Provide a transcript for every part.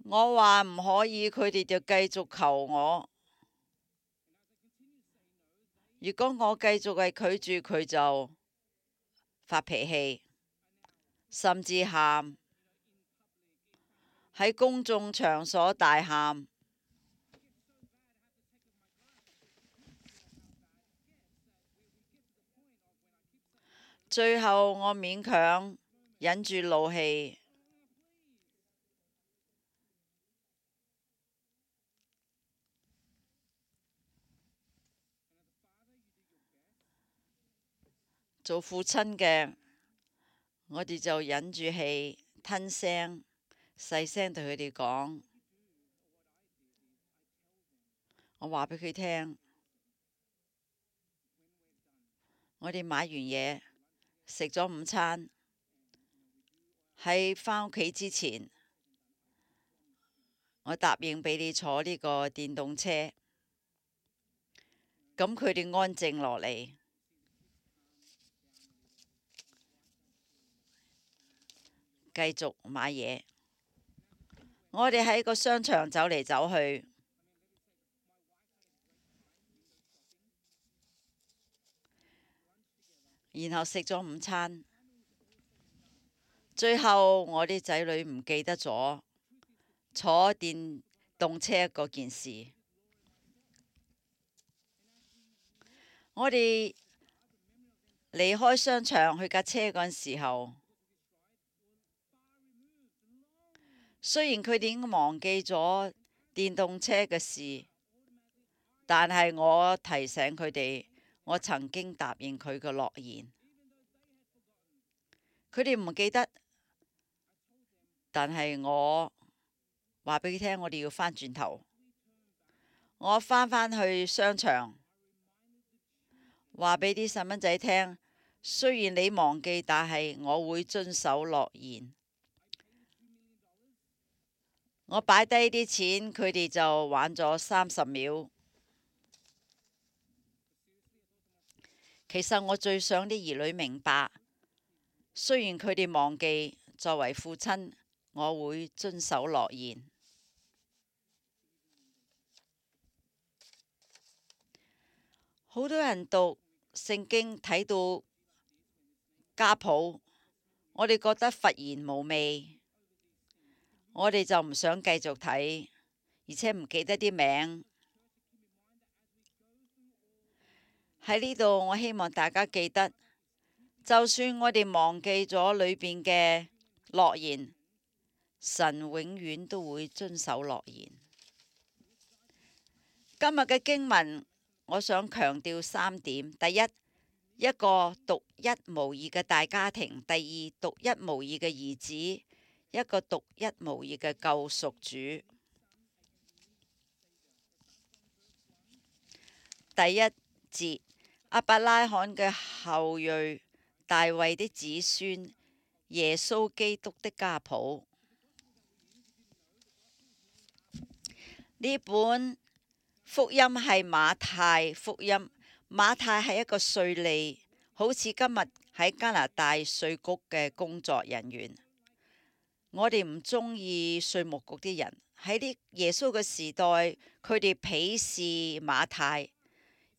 我話唔可以，佢哋就繼續求我。如果我繼續係拒絕，佢就發脾氣，甚至喊，喺公眾場所大喊。最後我勉強忍住怒氣，做父親嘅，我哋就忍住氣吞聲，細聲對佢哋講。我話俾佢聽，我哋買完嘢，食咗午餐，喺返屋企之前，我答應俾你坐呢個電動車。咁佢哋安靜落嚟，繼續買嘢。我哋喺個商場走嚟走去，然後食咗午餐。最後我啲仔女唔記得咗坐電動車嗰件事。我哋離開商場去架車嗰陣時候，雖然佢哋已經忘記咗電動車嘅事，但係我提醒佢哋，我曾經答應佢嘅諾言。佢哋唔記得，但係我話俾佢聽，我哋要返轉頭。我返去商場，話俾啲細蚊仔聽，雖然你忘記，但係我會遵守諾言。我擺低啲錢，佢哋就玩咗30秒。其實我最想啲兒女明白，雖然佢哋忘記，作為父親，我會遵守諾言。好多人讀聖經睇到家譜，我哋覺得乏言無味，我哋就唔想繼續睇，而且唔記得啲名。喺呢度，我希望大家記得，就算我哋忘記咗裏邊嘅諾言，神永遠都會遵守諾言。今日嘅經文，我想強調3點：第一，一個獨一無二嘅大家庭；第二，獨一無二嘅兒子，一個獨一無二嘅救贖主。第一節，亞伯拉罕嘅後裔，大衛的子孫，耶穌基督的家譜。呢本福音係馬太福音。馬太係一個稅吏，好似今日喺加拿大稅局嘅工作人員。我哋唔中意稅務局啲人。喺啲耶穌嘅時代，佢哋鄙視馬太，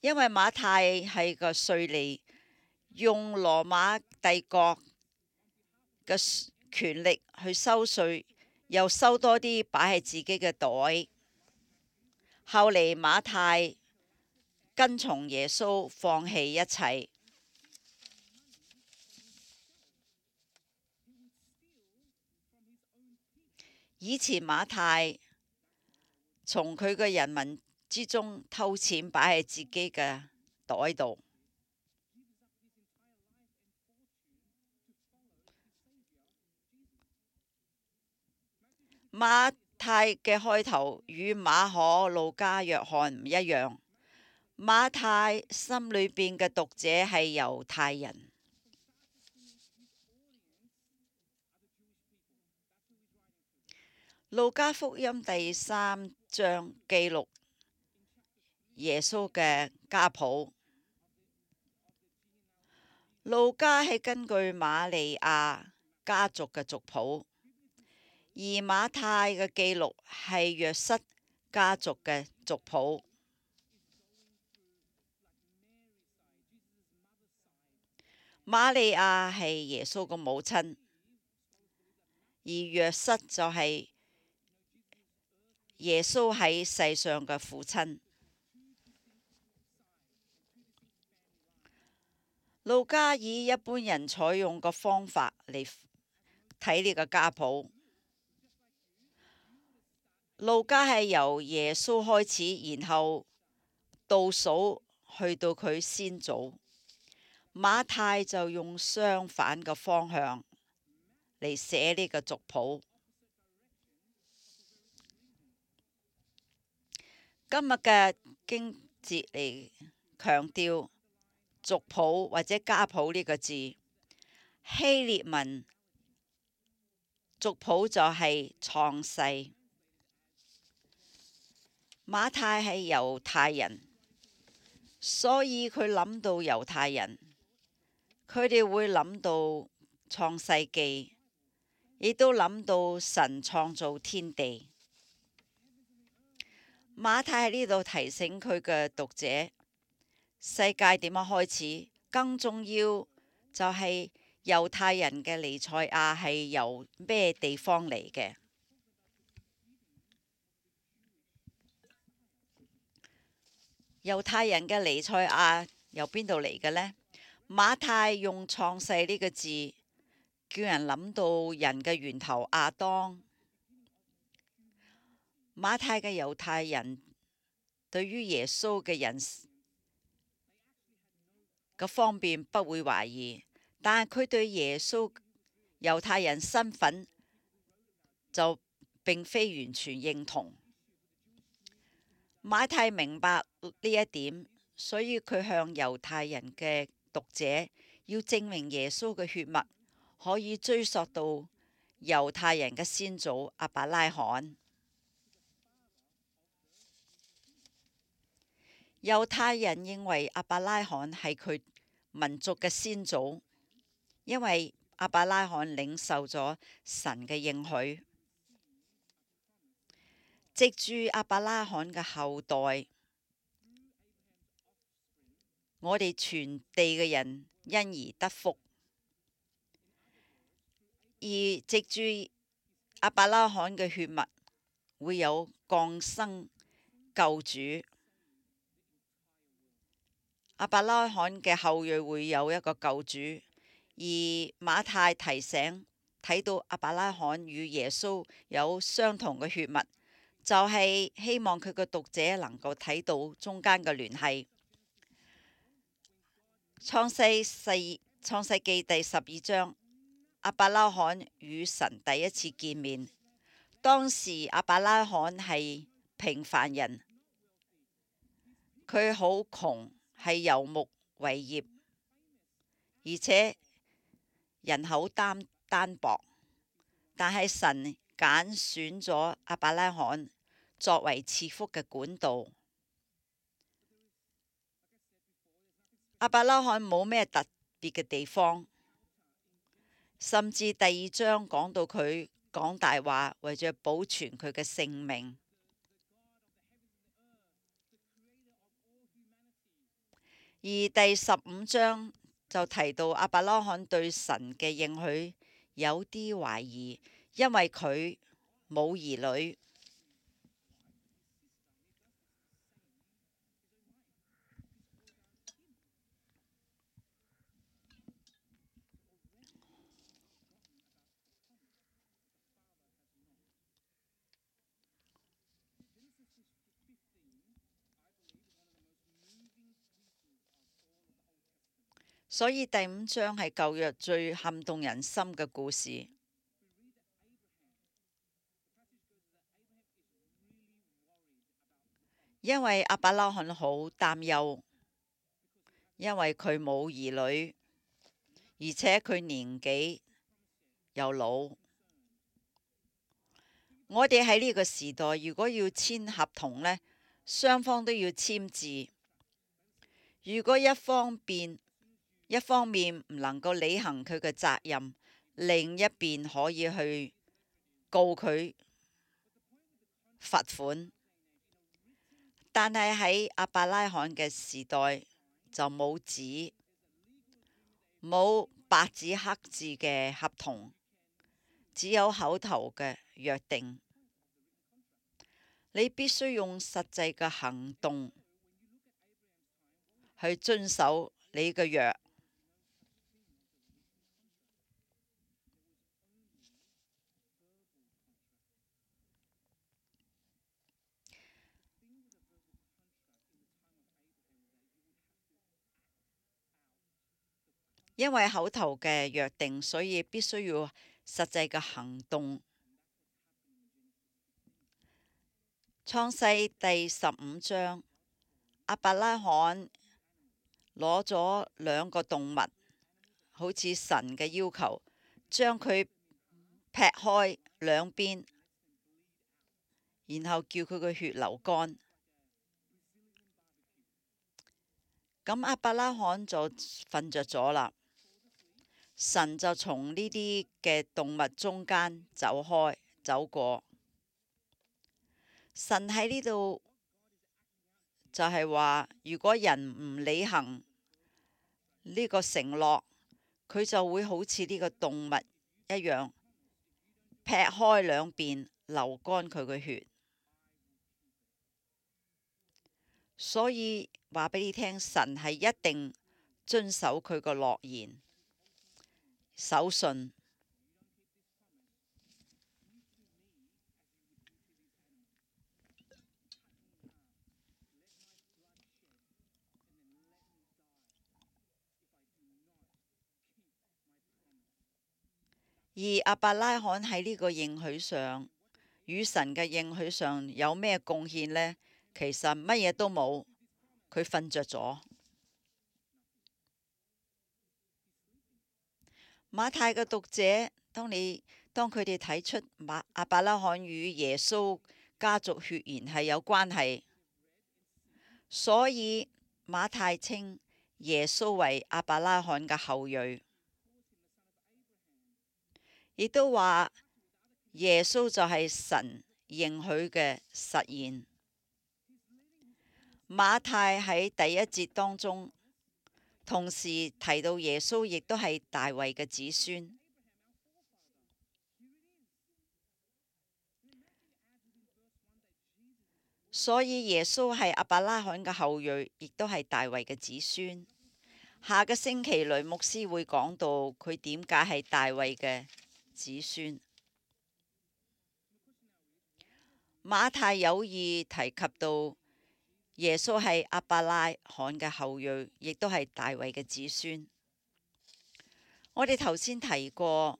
因為馬太係個稅吏，用羅馬帝國嘅權力去收稅，又收多啲擺喺自己嘅袋。後嚟馬太跟從耶穌，放棄一切。以前馬太從佢嘅人民之中偷錢擺喺自己嘅袋度。馬太嘅開頭與馬可、路加、約翰唔一樣。馬太心裏邊嘅讀者係猶太人。路加福音第3章記錄耶穌嘅家譜。路加係根據瑪利亞家族嘅族譜。而馬太嘅記錄係約瑟家族嘅族譜。瑪利亞係耶穌嘅母親，而約瑟就係耶穌喺世上嘅父親。路加以一般人採用嘅方法嚟睇呢個家譜。路加係由耶穌開始，然後倒數去到佢先祖。馬太就用相反嘅方向嚟寫呢個族譜。今日嘅經節嚟強調族譜或者家譜呢個字，希臘文族譜就係創世。馬太係猶太人，所以佢諗到猶太人，佢哋會諗到創世記，亦都諗到神創造天地。馬太喺呢度提醒佢嘅讀者，世界點樣開始，更重要就係猶太人嘅彌賽亞係由咩地方嚟嘅。猶太人嘅彌賽亞由邊度嚟嘅呢？馬太用創世呢個字，叫人諗到人嘅源頭亞當。馬太嘅猶太人對於耶穌嘅人嘅方便不會懷疑，但係佢對耶穌猶太人身份就並非完全認同。馬太明白呢一點，所以佢向猶太人嘅讀者要證明耶穌嘅血脈可以追溯到猶太人嘅先祖亞伯拉罕。猶太人認為亞伯拉罕係佢民族嘅先祖，因為亞伯拉罕領受咗神嘅應許，藉住亞伯拉罕嘅後代，我哋全地嘅人因而得福。而藉住亞伯拉罕嘅血脈，會有降生救主。亞伯拉罕嘅後裔會有一個救主，而馬太提醒睇到亞伯拉罕與耶穌有相同嘅血脈，就係希望佢嘅讀者能夠睇到中間嘅聯繫。創世記第12章，亞伯拉罕與神第一次見面，當時亞伯拉罕係平凡人，佢好窮，係游牧為業，而且人口單薄，但係神揀選咗亞伯拉罕作為賜福嘅管道。亞伯拉罕冇咩特別嘅地方，甚至第2章講到佢講大話，為咗保存佢嘅性命。而第15章就提到亞伯拉罕對神嘅應許有啲懷疑，因為佢冇兒女。所以第5章係舊約最撼動人心嘅故事。因為亞伯拉罕好擔憂，因為佢冇兒女，而且佢年紀又老。我哋喺呢個時代，如果要簽合同呢，雙方都要簽字。如果一方面唔能夠履行佢嘅責任，另一邊可以去告佢罰款，但係喺亞伯拉罕嘅時代就冇紙，冇白紙黑字嘅合同，只有口頭嘅約定。你必須用實際嘅行動去遵守你嘅約。因為口頭嘅約定，所以必須要實際嘅行動。創世第15章，亞伯拉罕攞咗2個動物，好似神嘅要求，將佢劈開兩邊，然後叫佢嘅血流乾。咁亞伯拉罕就瞓着咗啦。神就從呢啲嘅動物中間走過。神喺呢度就係話，如果人唔履行呢個承諾，佢就會好似呢個動物一樣，劈開兩邊，流乾佢嘅血。所以話俾你聽，神係一定遵守佢個諾言，守信。而亞伯拉罕喺呢個應許上，與神嘅應許上有咩貢獻呢？其實乜嘢都冇，佢瞓着咗。馬太嘅讀者，當佢哋睇出亞伯拉罕與耶穌家族血緣係有關係，所以馬太稱耶穌為亞伯拉罕嘅後裔，亦都話耶穌就係神應許嘅實現。馬太喺第一節當中同時提到耶穌亦都係大衛嘅子孫，所以耶穌係亞伯拉罕嘅後裔，亦都係大衛嘅子孫。下個星期雷牧師會講到佢點解係大衛嘅子孫。馬太有意提及到耶穌係亞伯拉罕嘅後裔，亦都係大衛嘅子孫。我哋頭先提過，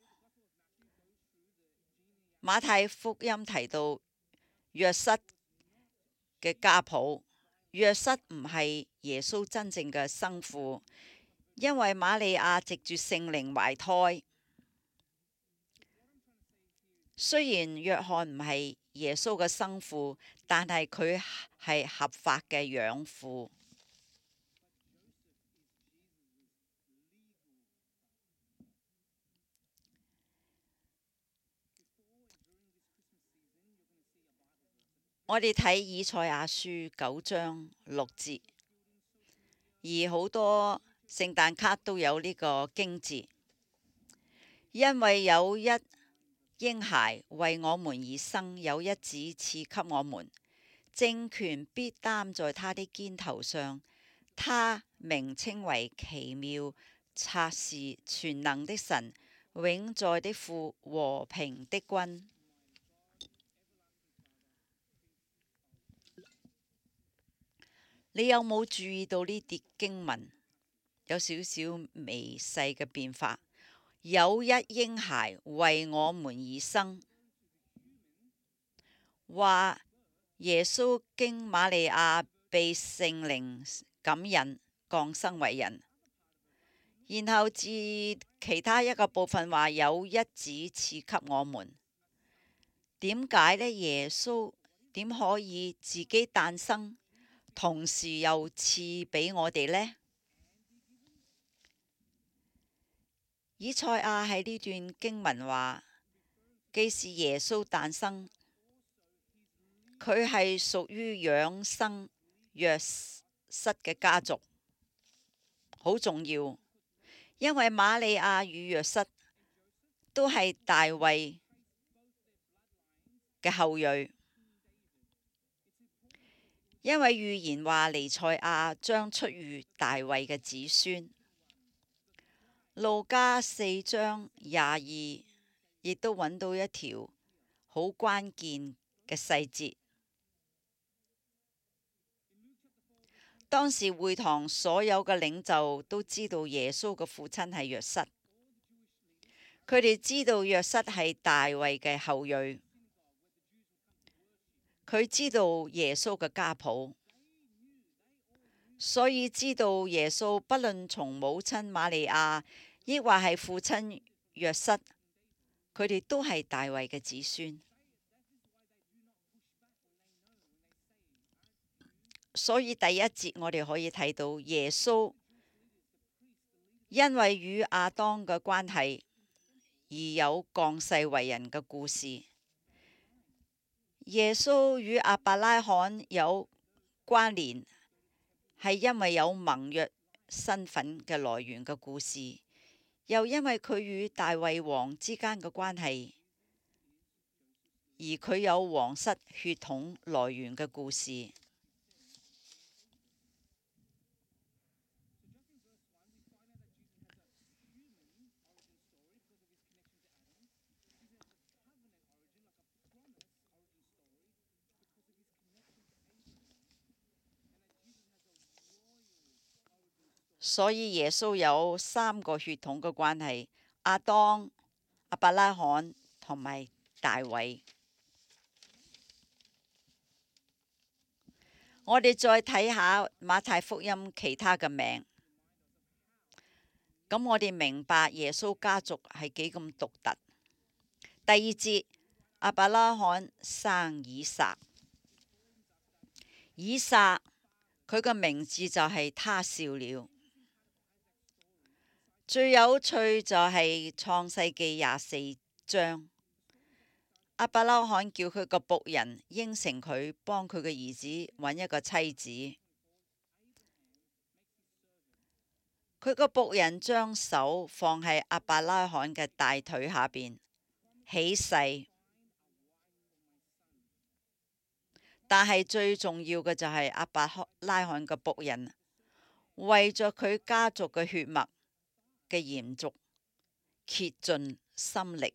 馬太福音提到約瑟嘅家譜，約瑟唔係耶穌真正嘅生父，因為瑪利亞藉住聖靈懷胎。雖然約翰唔係耶穌嘅生父，但係佢係合法嘅養父。我哋睇以賽亞書9章6節，而好多聖誕卡都有呢個經節，因為有一嬰孩為我們而生，有一子賜給我們，政權必擔在他的肩頭上，他名稱為奇妙、策士、全能的神、永在的父、和平的君。你有冇注意到呢啲經文有少少微細嘅變化？有一嬰孩為我們而生，話耶穌經瑪利亞被聖靈感引降生為人，然後至其他一個部分話有一子賜給我們。點解呢？耶穌點可以自己誕生，同時又賜俾我哋呢？以賽亞喺呢段經文話，既是耶穌誕生，佢係屬於養生約瑟嘅家族，好重要，因為瑪利亞與約瑟都係大衛嘅後裔，因為預言話彌賽亞將出於大衛嘅子孫。路加4章22亦都揾到一條好關鍵嘅細節。當時會堂所有嘅領袖都知道耶穌嘅父親係約瑟，佢哋知道約瑟係大衛嘅後裔，佢知道耶穌嘅家譜，所以知道耶穌不論從母親瑪利亞，抑或係父親約瑟，佢哋都係大衛嘅子孫。所以第一節我哋可以睇到耶穌因為與亞當嘅關係而有降世為人嘅故事。耶穌與亞伯拉罕有關聯，係因為有盟約身份嘅來源嘅故事，又因為佢與大衛王之間嘅關係，而佢有皇室血統來源嘅故事。所以耶穌有3個血統嘅關係：亞當、亞伯拉罕同埋大衛。我哋再睇下馬太福音其他嘅名，咁我哋明白耶穌家族係幾咁獨特。第2節，亞伯拉罕生以撒，以撒佢個名字就係他笑了。最有趣就係創世記24章，亞伯拉罕叫佢個僕人應承佢幫佢嘅兒子揾一個妻子，佢個僕人將手放喺亞伯拉罕嘅大腿下邊起誓，但係最重要嘅就係亞伯拉罕嘅僕人為咗佢家族嘅血脈嘅延續，竭盡心力。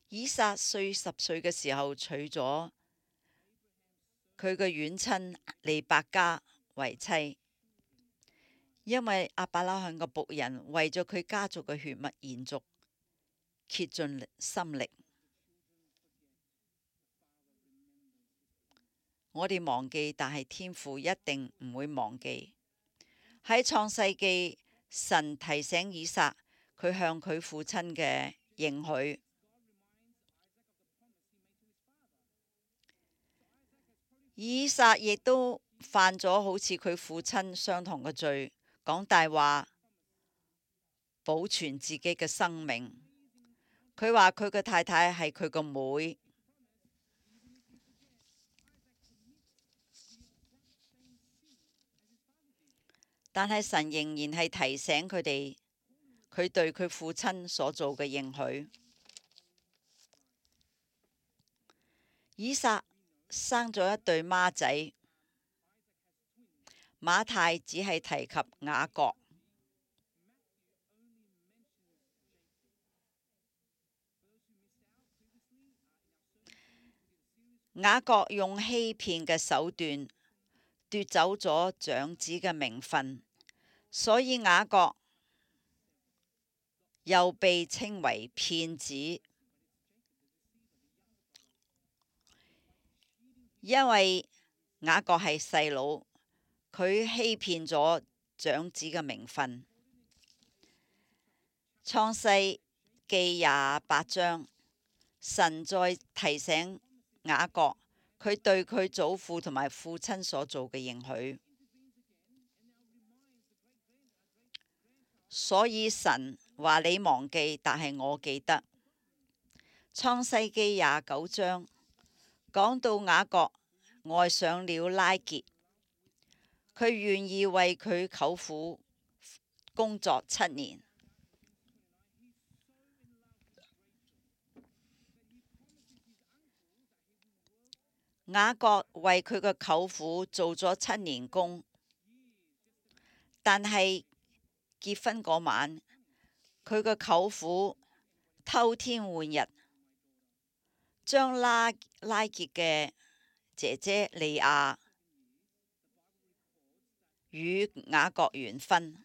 以撒40歲嘅時候娶咗佢嘅遠親利百加為妻，因為亞伯拉罕嘅僕人為咗佢家族嘅血脈延續，竭盡心力。我哋忘記，但係天父一定唔會忘記。喺創世記，神提醒以撒佢向佢父親嘅應許。以撒亦都犯咗好似佢父親相同嘅罪，講大話，保存自己嘅生命。佢話佢嘅太太係佢個妹，但係神仍然係提醒佢哋，佢對佢父親所做嘅應許。以撒生咗一對孖仔，馬太只係提及雅各。雅各用欺騙嘅手段奪走咗長子嘅名分，所以雅各又被稱為騙子。因為雅各係細佬，佢欺騙咗長子嘅名分。創世記28章，神再提醒雅各佢對佢祖父同埋父親所做嘅應許，所以神話你忘記，但係我記得。創世記29章講到雅各愛上了拉結，佢願意為佢舅父工作7年。雅各為佢嘅舅父做咗7年工，但係結婚嗰晚，佢嘅舅父偷天換日，將拉結嘅姐姐利亞與雅各完婚。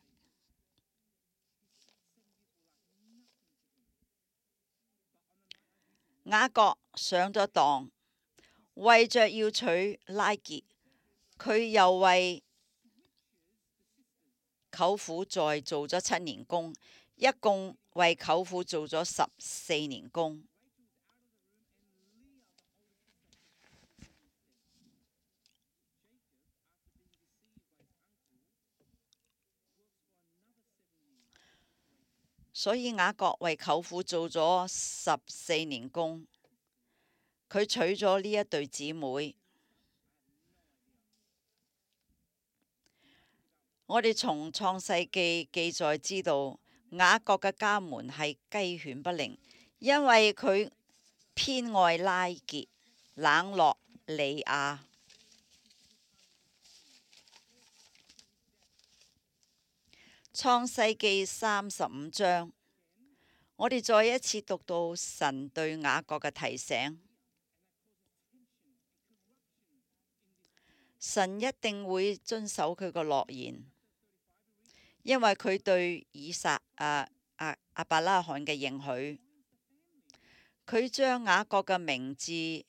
雅各上咗當，為着要娶拉結，佢又為舅父再做咗7年工，一共為舅父做咗14年工。所以雅各為舅父做咗14年工，佢娶咗呢一對姊妹。我哋從創世記記載知道，雅各嘅家門係雞犬不寧，因為佢偏愛拉結，冷落利亞。創世記35章，我哋再一次讀到神對雅各嘅提醒，神一定會遵守佢個諾言，因為佢對亞伯拉罕嘅應許，佢將雅各嘅名字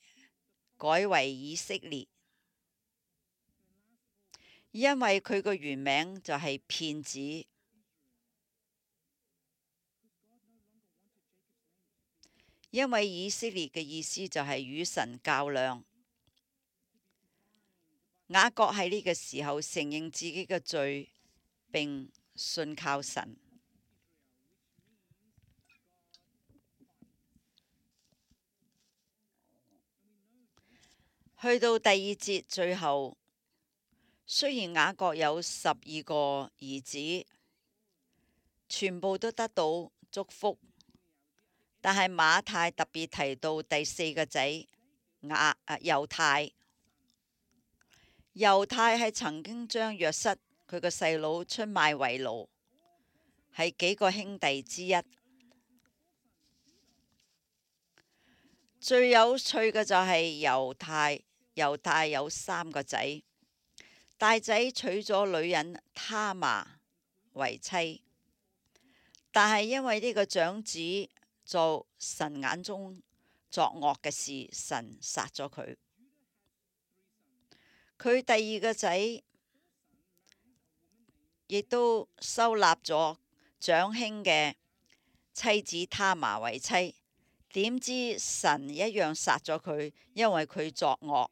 改為以色列，因為佢個原名就係騙子。因為以色列嘅意思就係與神較量。雅各喺呢個時候承認自己嘅罪，並信靠神。去到第2節最後，雖然雅各有12個兒子，全部都得到祝福，但係馬太特別提到第4個仔猶太。猶太係曾經將約瑟佢個細佬出賣為奴，係幾個兄弟之一。最有趣嘅就係猶太有3個仔，大仔娶咗女人他瑪為妻，但係因為呢個長子做神眼中作惡嘅事，神殺咗佢。佢第2個仔亦都收納咗長兄嘅妻子他瑪為妻，點知神一樣殺咗佢，因為佢作惡。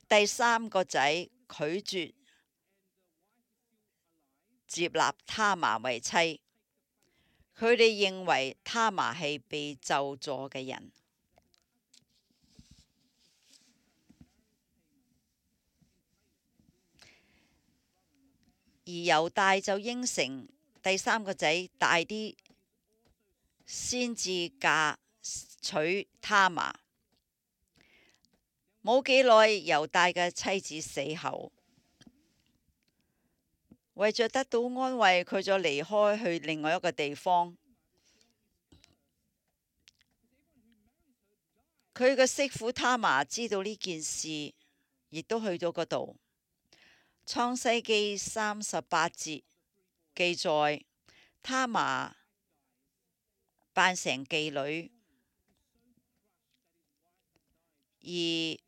第3個仔拒絕接納他瑪為妻，佢哋認為他瑪係被咒詛嘅人。而猶大就應承第3個仔大啲先至嫁娶他瑪。冇幾耐，猶大嘅妻子死後，為着得到安慰，佢就離開去另外一個地方。佢嘅媳婦他瑪知道呢件事，亦都去到嗰度。創世記38節記載，他瑪扮成妓女，而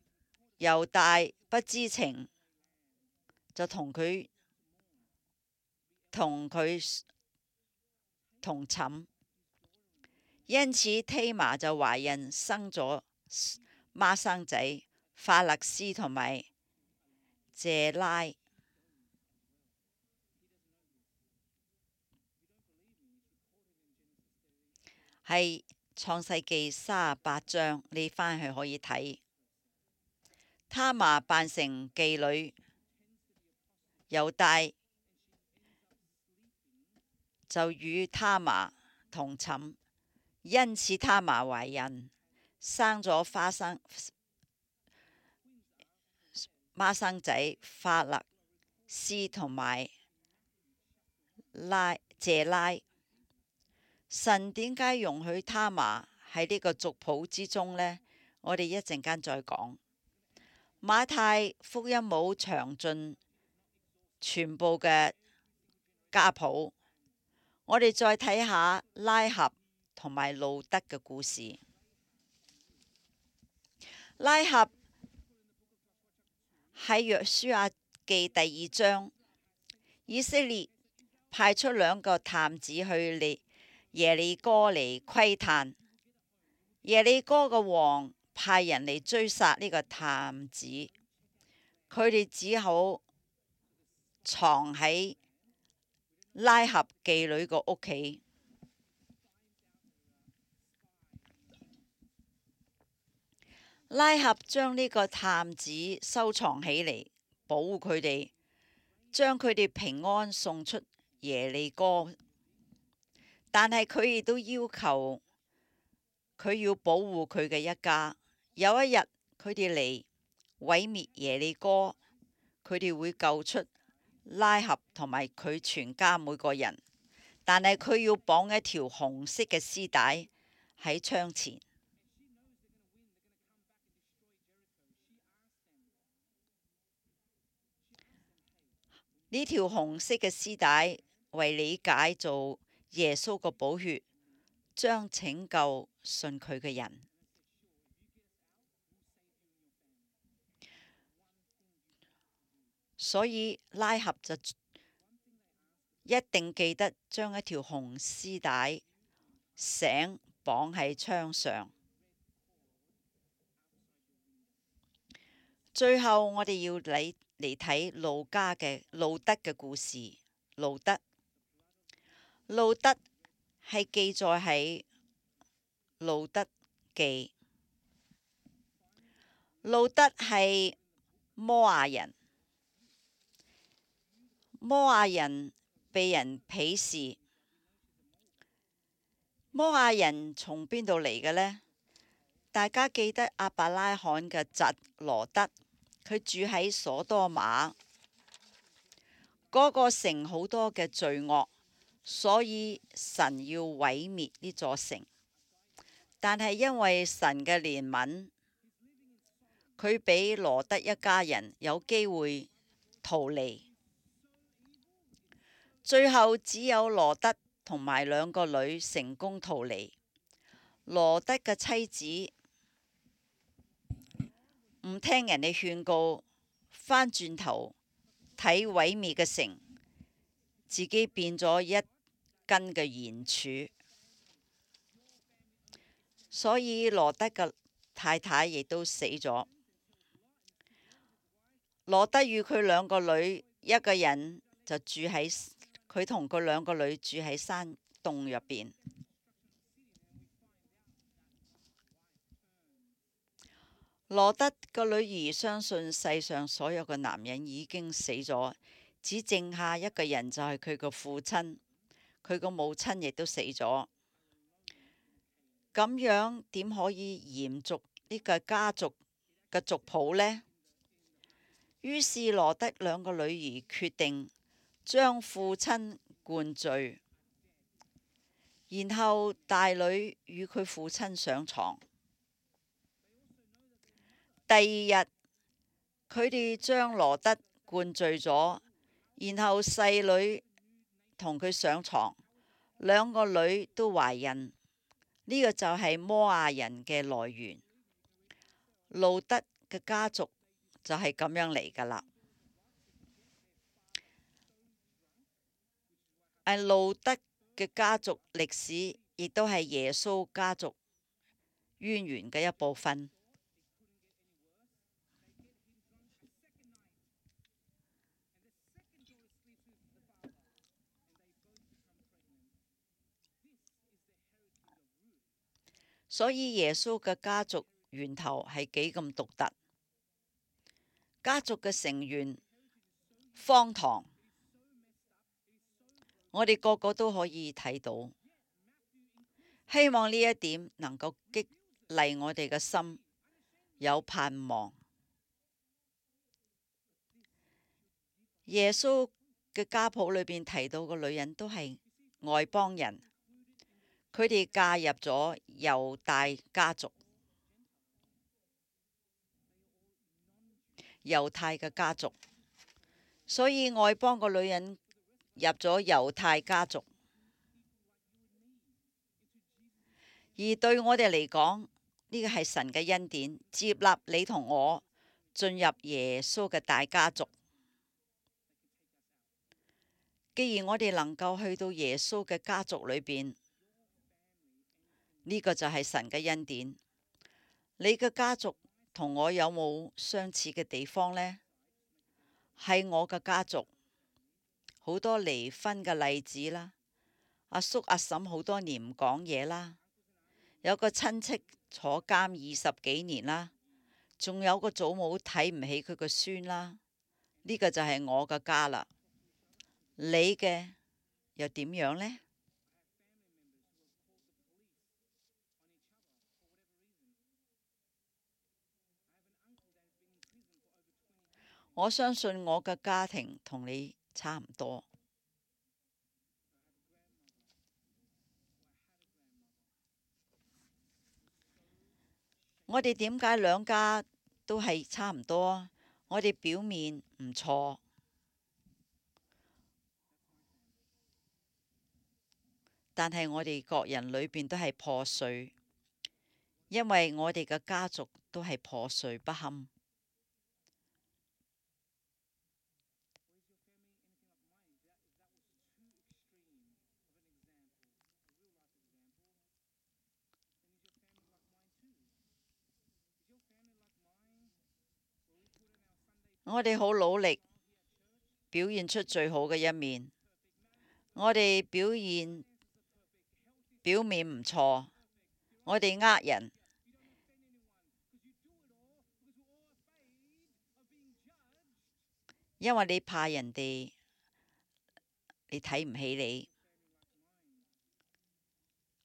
猶大不知情，就同佢同寢，因此忒麻就懷孕生咗孖生仔法勒斯同埋謝拉。係創世記38章，你返去可以睇。他瑪扮成妓女，猶大就與他瑪同寢，因此他瑪懷孕，生咗孖生仔法勒斯同埋謝拉。神點解容許他瑪喺呢個族譜之中呢？我哋一陣間再講。馬太福音冇詳盡全部嘅家譜，我哋再睇下拉合同埋路得嘅故事。拉合喺約書亞記第2章，以色列派出2個探子去耶利哥嚟窺探，耶利哥嘅王派人嚟追殺呢個探子，佢哋只好藏喺拉合妓女個屋企。拉合將呢個探子收藏起嚟，保護佢哋，將佢哋平安送出耶利哥。但係佢亦都要求佢要保護佢嘅一家。有一日佢哋嚟毀滅耶利哥，佢哋會救出拉合同埋佢全家每個人，但係佢要綁一條紅色嘅絲帶喺窗前。呢條紅色嘅絲帶為理解做耶穌個寶血，將拯救信佢嘅人。所以拉合就一定記得將一條紅絲帶繩綁喺窗上。最後我哋要嚟睇路得嘅故事。路得係記載喺路得記。路得係摩亞人，摩亞人被人鄙視。摩亞人從邊度嚟嘅呢？大家記得亞伯拉罕嘅侄羅得，佢住喺所多瑪嗰個城，好多嘅罪惡，所以神要毀滅呢座城。但係因為神嘅憐憫，佢俾羅得一家人有機會逃離。最後只有羅得同埋2個女成功逃離。羅得嘅妻子唔聽人哋勸告，返轉頭睇毀滅嘅城，自己變咗一根嘅鹽柱。所以羅得嘅太太亦都死咗。羅得與佢2個女，一個人就住喺佢同佢2個女住喺山洞入邊。羅得個女兒相信世上所有嘅男人已經死咗，只剩下一個人，就係佢個父親。佢個母親亦都死咗。咁樣點可以延續呢個家族嘅族譜呢？於是羅得2個女兒決定將父親灌醉，然後大女與佢父親上床。第2日，佢哋將羅得灌醉咗，然後細女同佢上床，2個女都懷孕。呢個就係摩亞人嘅來源。路得嘅家族就係咁樣嚟㗎啦。路得嘅家族歷史，亦都係耶穌家族淵源嘅一部分。所以耶穌嘅家族源頭係幾咁獨特，家族嘅成員荒唐，我哋個個都可以睇到。希望呢一點能夠激勵我哋嘅心，有盼望。耶穌嘅家譜裏邊提到嘅女人都係外邦人，佢哋嫁入咗猶大家族、猶太嘅家族，所以外邦個女人入咗猶太家族。而對我哋嚟講，呢個係神嘅恩典，接納你同我進入耶穌嘅大家族。既然我哋能夠去到耶穌嘅家族裏邊，呢個就係神嘅恩典。你嘅家族同我有冇相似嘅地方呢？係我嘅家族，好多離婚嘅例子啦，阿叔阿嬸好多年唔講嘢啦，有個親戚坐監20幾年啦，仲有個祖母睇唔起佢個孫啦，呢個就係我嘅家啦。你嘅又點樣呢？我相信我嘅家庭同你差唔多。我哋點解兩家都係差唔多？我哋表面唔錯，但係我哋各人裏邊都係破碎，因為我哋嘅家族都係破碎不堪。我哋好努力表現出最好嘅一面，我哋表面唔錯，我哋呃人，因為你怕人哋你睇唔起你。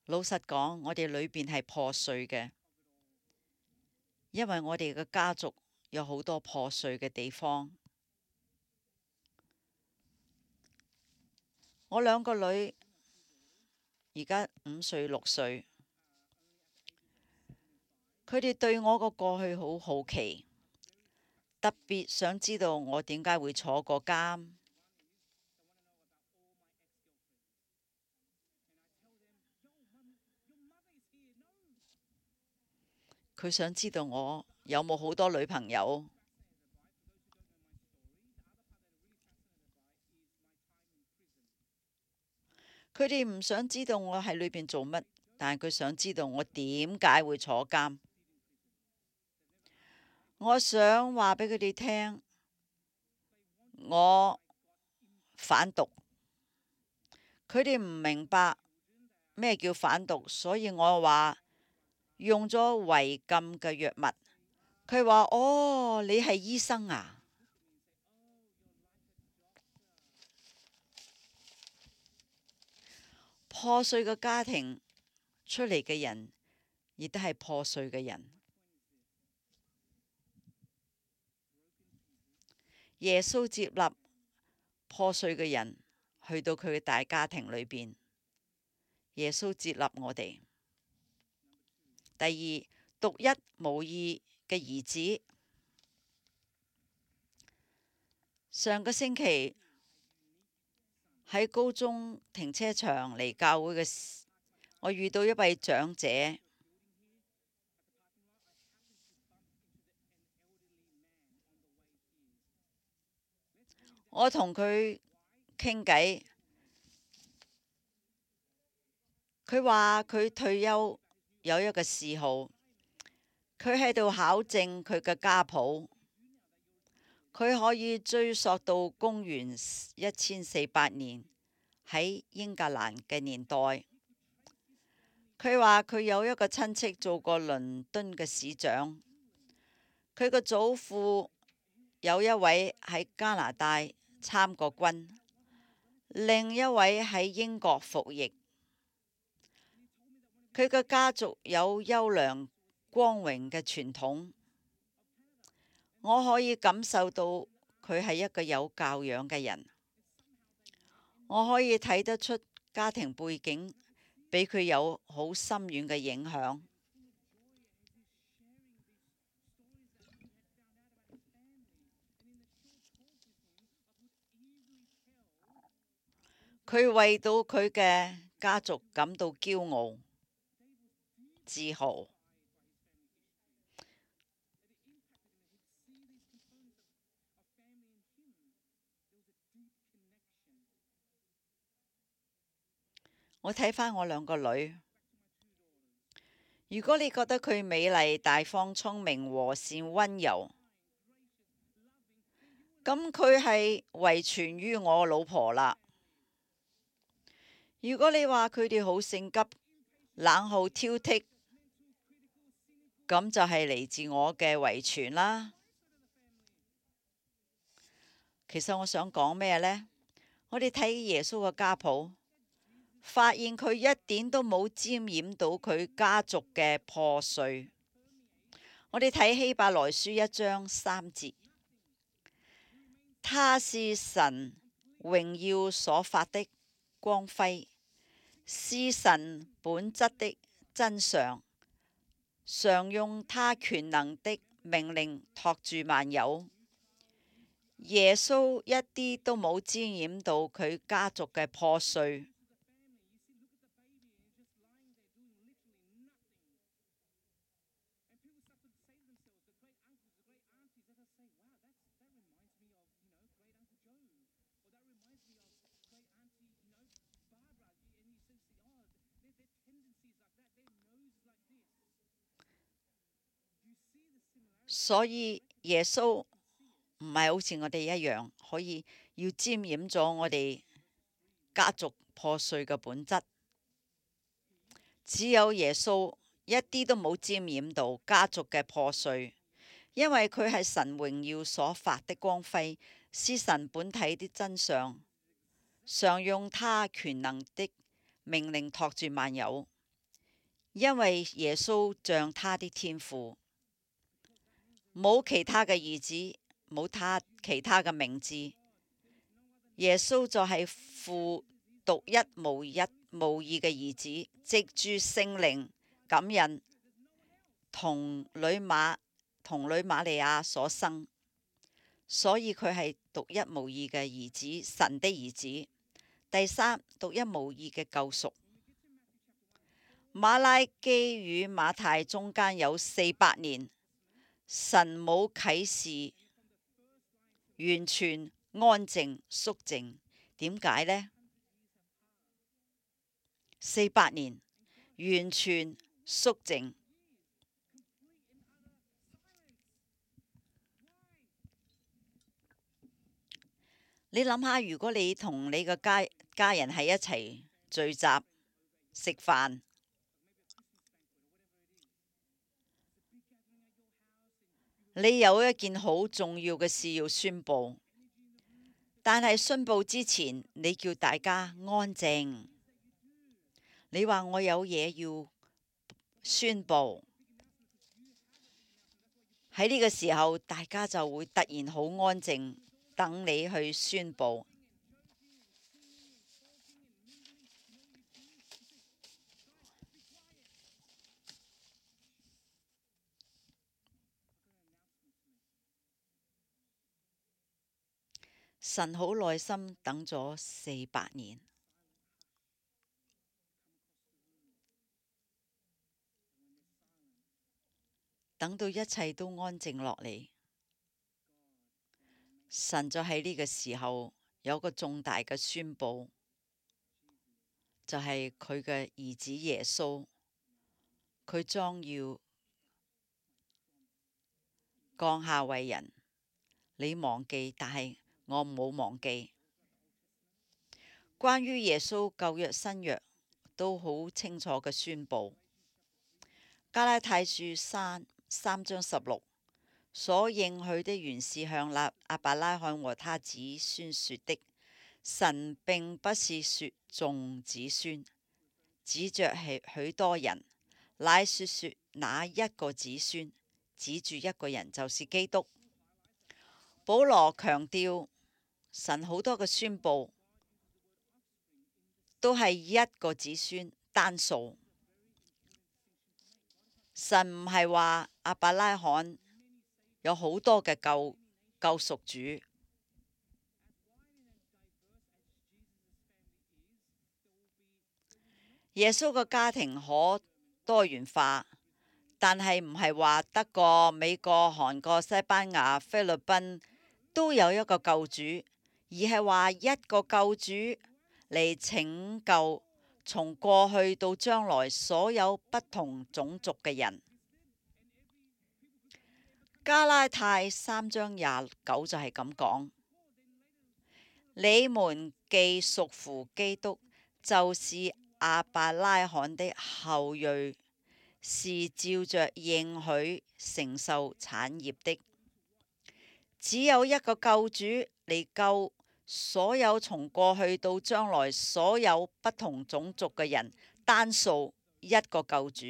老實講，我哋裏邊係破碎嘅，因為我哋嘅家族有好多破碎嘅地方。我兩個女而家5歲、6歲，佢哋對我個過去好好奇，特別想知道我點解會坐過監。佢想知道我有冇好多女朋友。佢哋唔想知道我喺裏邊做乜，但係佢想知道我點解會坐監。我想話俾佢哋聽，我反毒。佢哋唔明白咩叫反毒，所以我話用咗違禁嘅藥物。佢話：哦，你係醫生啊？破碎嘅家庭出嚟嘅人，亦都係破碎嘅人。耶穌接納破碎嘅人去到佢嘅大家庭裏邊。耶穌接納我哋。第二，獨一無二嘅兒子。上個星期喺高中停車場嚟教會嘅時，我遇到一位長者，我同佢傾偈，佢話佢退休有一個嗜好，佢喺度考證佢嘅家譜，佢可以追溯到公元1400年喺英格蘭嘅年代。佢話佢有一個親戚做過倫敦嘅市長，佢個祖父有一位喺加拿大參過軍，另一位喺英國服役。佢嘅家族有優良光榮嘅傳統，我可以感受到佢係一個有教養嘅人，我可以睇得出家庭背景俾佢有好深遠嘅影響。佢為到佢嘅家族感到驕傲、自豪。我睇返我兩個女，如果你覺得佢美麗、大方、聰明、和善、溫柔，咁佢係遺傳於我老婆啦。如果你話佢哋好性急、冷酷挑剔，咁就係嚟自我嘅遺傳啦。其實我想講咩呢？我哋睇耶穌嘅家譜，發現佢一點都冇沾染到佢家族嘅破碎。我哋睇希伯來書1章3節，他是神榮耀所發的光輝，是神本質的真相，常用他權能的命令托住萬有。耶穌一啲都冇沾染到佢家族嘅破碎。所以耶穌唔係好似我哋一樣，可以要沾染咗我哋家族破碎嘅本質。只有耶穌一啲都冇沾染到家族嘅破碎，因為佢係神榮耀所發的光輝，是神本體的真相，常用他權能的命令托住萬有。因為耶穌像他的天父，冇其他嘅兒子，冇其他嘅名字。耶穌就係父獨一無二嘅兒子，藉住聖靈感孕，童女瑪利亞所生，所以佢係獨一無二嘅兒子，神的兒子。第三，獨一無二嘅救贖。馬拉基與馬太中間有400年，神冇啟示，完全安靜肅靜。點解呢？400年完全肅靜。你諗下，如果你同你個家人喺一齊聚集食飯，你有一件好重要嘅事要宣佈，但係宣佈之前，你叫大家安靜。你話我有嘢要宣佈，喺呢個時候，大家就會突然好安靜，等你去宣佈。神好耐心等咗400年，等到一切都安靜落嚟，神就喺呢個時候有個重大嘅宣佈。就係佢嘅兒子耶穌，佢將要降下為人。你忘記，但係我冇忘記。關於耶穌舊約新約都好清楚嘅宣佈。加拉太書3章16所應許的原是向亞伯拉罕和他子孫說的。神並不是說眾子孫，指着許多人，乃說那一個子孫，指住一個人，就是基督。保羅強調，神好多嘅宣佈都係一個子孫單數。神唔係話亞伯拉罕有好多嘅救贖主。耶穌嘅家庭可多元化，但係唔係話德國、美國、韓國、西班牙、菲律賓都有一個救主，而係話一個救主嚟拯救從過去到將來所有不同種族嘅人。加拉太3章29就係咁講：你們既屬乎基督，就是亞伯拉罕的後裔，是照着應許承受產業的。只有一個救主嚟救所有從過去到將來所有不同種族嘅人，單數一個救主。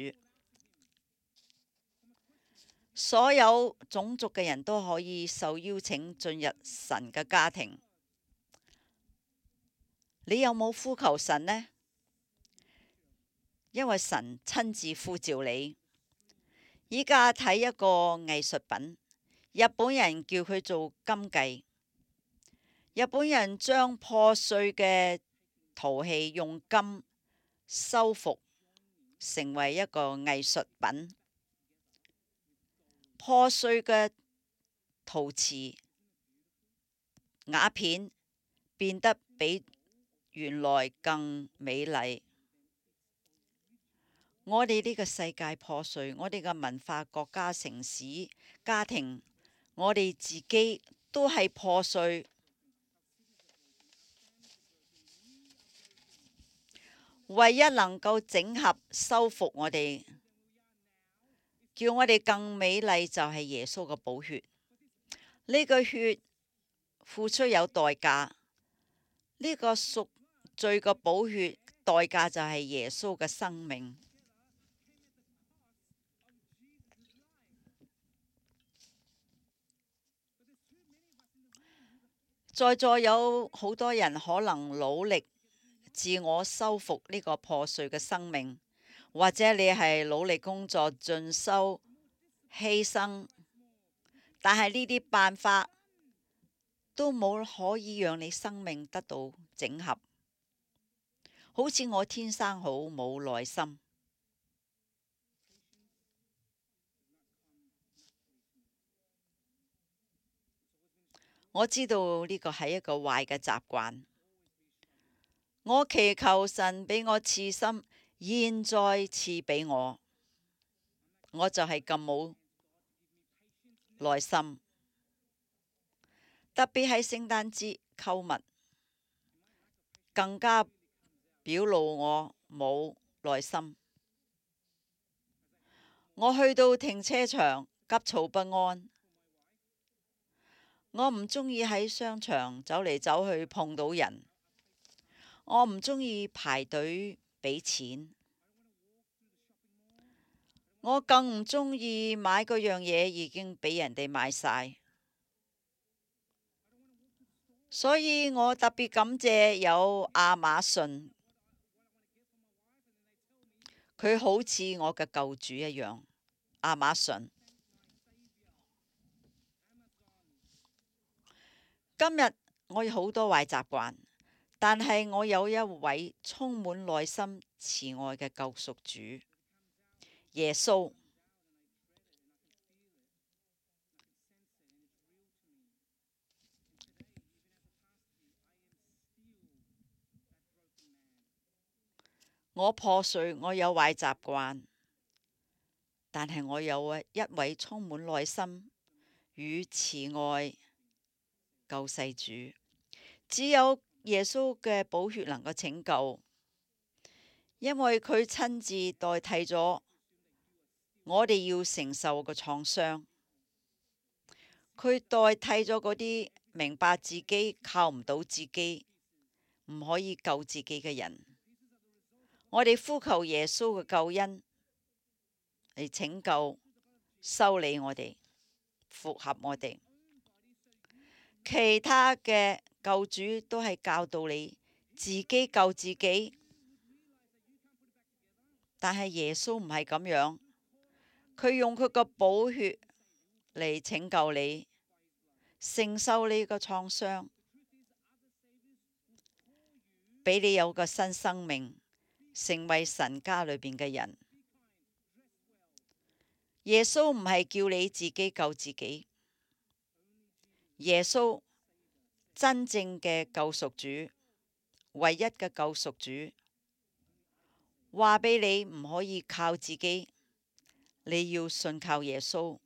所有種族嘅人都可以受邀請進入神嘅家庭。你有冇呼求神呢？因為神親自呼召你。依家睇一個藝術品，日本人叫佢做金繼。日本人將破碎嘅陶器用金修復，成為一個藝術品。破碎嘅陶瓷瓦片變得比原來更美麗。我哋呢個世界破碎，我哋嘅文化、國家、城市、家庭，我哋自己都係破碎。唯一能夠整合修復我哋，叫我哋更美麗，就係耶穌嘅寶血。呢個血付出有代價，呢個贖罪嘅寶血代價就係耶穌嘅生命。在座有好多人可能努力自我修復呢個破碎嘅生命，或者你係努力工作、進修、犧牲，但係呢啲辦法都冇可以讓你生命得到整合。好似我天生好冇耐心，我知道呢個係一個壞嘅習慣。我祈求神俾我賜心，現在賜俾我，我就係咁冇耐心。特別係聖誕節購物，更加表露我冇耐心。我去到停車場急躁不安。我唔鍾意喺商場走嚟走去碰到人。我唔鍾意排隊俾錢。我更唔鍾意買嗰樣嘢已經俾人哋買晒。所以我特別感謝有亞馬遜，佢好似我嘅救主一樣。亞馬遜，今日我有好多壞習慣，但係我有一位充滿耐心慈愛嘅救贖主耶穌。我破碎，我有壞習慣，但係我有一位充滿耐心與慈愛救世主。只有耶穌嘅寶血能夠拯救，因為佢親自代替咗我哋要承受嘅創傷。佢代替咗嗰啲明白自己靠唔到自己，唔可以救自己嘅人。我哋呼求耶穌嘅救恩嚟拯救、修理我哋、復合我哋。其他嘅救主都係教導你自己救自己，但係耶穌唔係咁樣，佢用佢個寶血嚟拯救你，承受你個創傷，俾你有個新生命，成為神家裏邊嘅人。耶穌唔係叫你自己救自己，耶穌真正嘅救贖主，唯一嘅救贖主，話俾你唔可以靠自己，你要信靠耶穌，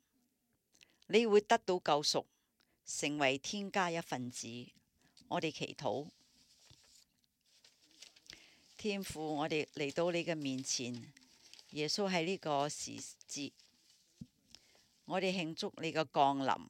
你會得到救贖，成為天家一份子。我哋祈禱。天父，我哋嚟到你嘅面前，耶穌喺呢個時節，我哋慶祝你嘅降臨。